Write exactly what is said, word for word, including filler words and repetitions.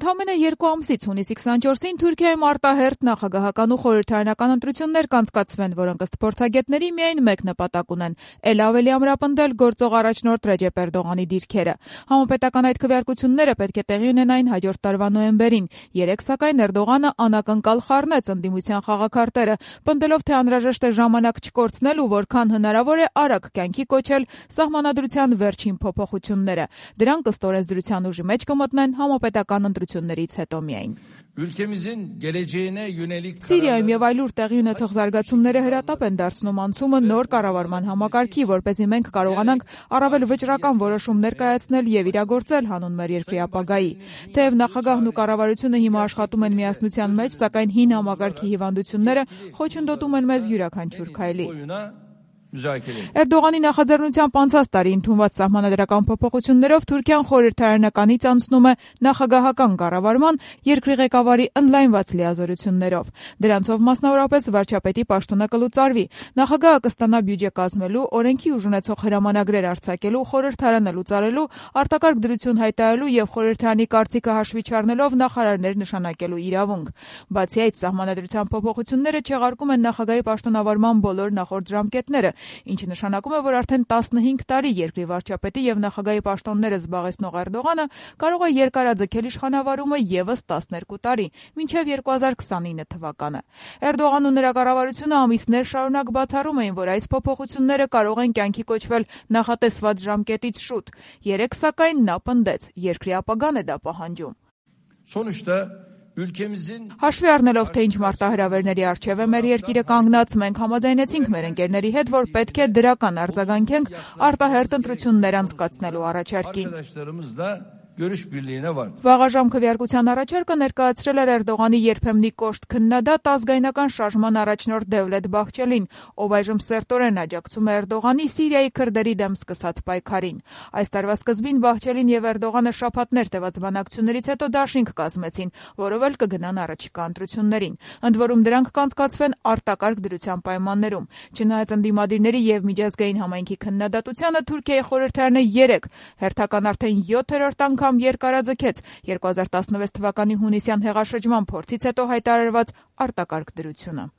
Ընդամենը երկու ամսից հունիսի քսանչորսին Թուրքիայում արտահերթ նախագահական ու խորհրդարանական ընտրություններ կանցկացվեն, որոնք ըստ փորձագետների միայն մեկ նպատակ ունեն՝ էլ ավելի ամրապնդել գործող առաջնորդ Ռեջեփ Էրդողանի դիրքերը։ Համապետական այդ քվեարկությունները պետք է տեղի ունենային հաջորդ տարվա նոյեմբերին։ Երեկ սակայն Էրդողանը անակնկալ խառնեց ընդդիմության խաղաքարտերը, պնդելով, թե անհրաժեշտ է ժամանակ չկորցնել ու որքան հնարավոր է արագ կյանքի կոչել սահմանադրության վերջին փոփոխությունները։ Դրանք ըստ օրենսդրության ուժի մեջ կմտնեն համապետական ընտրություններից հետո միայն։ Սիրիայում եւ այլուր տեղի ունեցող զարգացումները հրատապ են դարձնում անցումը նոր կառավարման համակարգի, որպեսզի մենք կարողանանք առավել վճռական որոշումներ կայացնել եւ իրագործել հանուն մեր երկրի ապագայի։ Թեև նախագահն ու կառավարությունը հիմա աշխատում են միասնության մեջ, սակայն հին համակարգի հիվանդությունները խոչընդոտում են մեզ յուրաքանչյուր քայլի։ Էրդողանի նախաձեռնությամբ անցած տարի ընդունված սահմանադրական փոփոխություններով Թուրքիան խորհրդարանականից անցնում է նախագահական կառավարման երկրի ղեկավարի ընդլայնված լիազորություններով։ Դրանցով մասնավորապես վարչապետի պաշտոնը կլուծարվի։ Նախագահը կստանա բյուջե կազմելու, օրենքի ուժ ունեցող հրամանագրեր արձակելու, խորհրդարանը լուծարելու, արտակարգ դրություն հայտարարելու եւ խորհրդարանի կարծիքը հաշվի չառնելով նախարարներ նշանակելու իրավունք։ Բացի այդ, սահմանադրության փոփոխությունները չեղարկում են նախագահի պաշտոնավարման բոլոր նախորդ ժամկետները, ինչը նշանակում է, որ արդեն տասնհինգ տարի երկրի վարչապետի եւ նախագահի պաշտոնները զբաղեցնող Էրդողանը կարող է երկարաձգել իշխանավարումը եւս տասներկու տարի, մինչեւ երկու հազար քսանինը թվականը։ Էրդողանն ու նրա կառավարությունը ամիսներ շարունակ բացառում էին, որ այս փոփոխությունները կարող են կյանքի կոչվել նախատեսված ժամկետից շուտ։ Երեկ սակայն նա պնդեց, երկրի ապագան է դա պահանջում։ Հաշվի առնելով, թե ինչ մարտահրավերների առջև է մեր երկիրը կանգնած, մենք համաձայնեցինք մեր ընկերների հետ, որ պետք է դրական արձագանքենք արտահերթ ընտրություններ անցկացնելու առաջարկին։ Վաղաժամ քվեարկության առաջարկը ներկայացրել էր Էրդողանի երբեմնի կոշտ քննադատ ազգայնական շարժման առաջնորդ Դևլետ Բաղչելին, ով այժմ սերտորեն աջակցում է Էրդողանի Սիրիայի քրդերի դեմ սկսած պայքարին։ Այս տարվա սկզբին Բաղչելին եւ Էրդողանը շաբաթներ տևած բանակցություններից հետո դաշինք կազմեցին, որով էլ կգնան առաջիկա ընտրություններին։ Ընդ որում դրանք կանցկացվեն արտակարգ դրության պայմաններում։ Չնայած ընդդիմադիրների եւ միջազգային համայնքի քննադատությանը, Թուրքիայի խորհրդարանը երեկ հերթական արդեն յոթերորդ անգամ երկարաձգեց երկու հազար տասնվեց թվականի հունիսյան հեղաշրջման փորձից հետո հայտարարված արտակարգ դրությունը։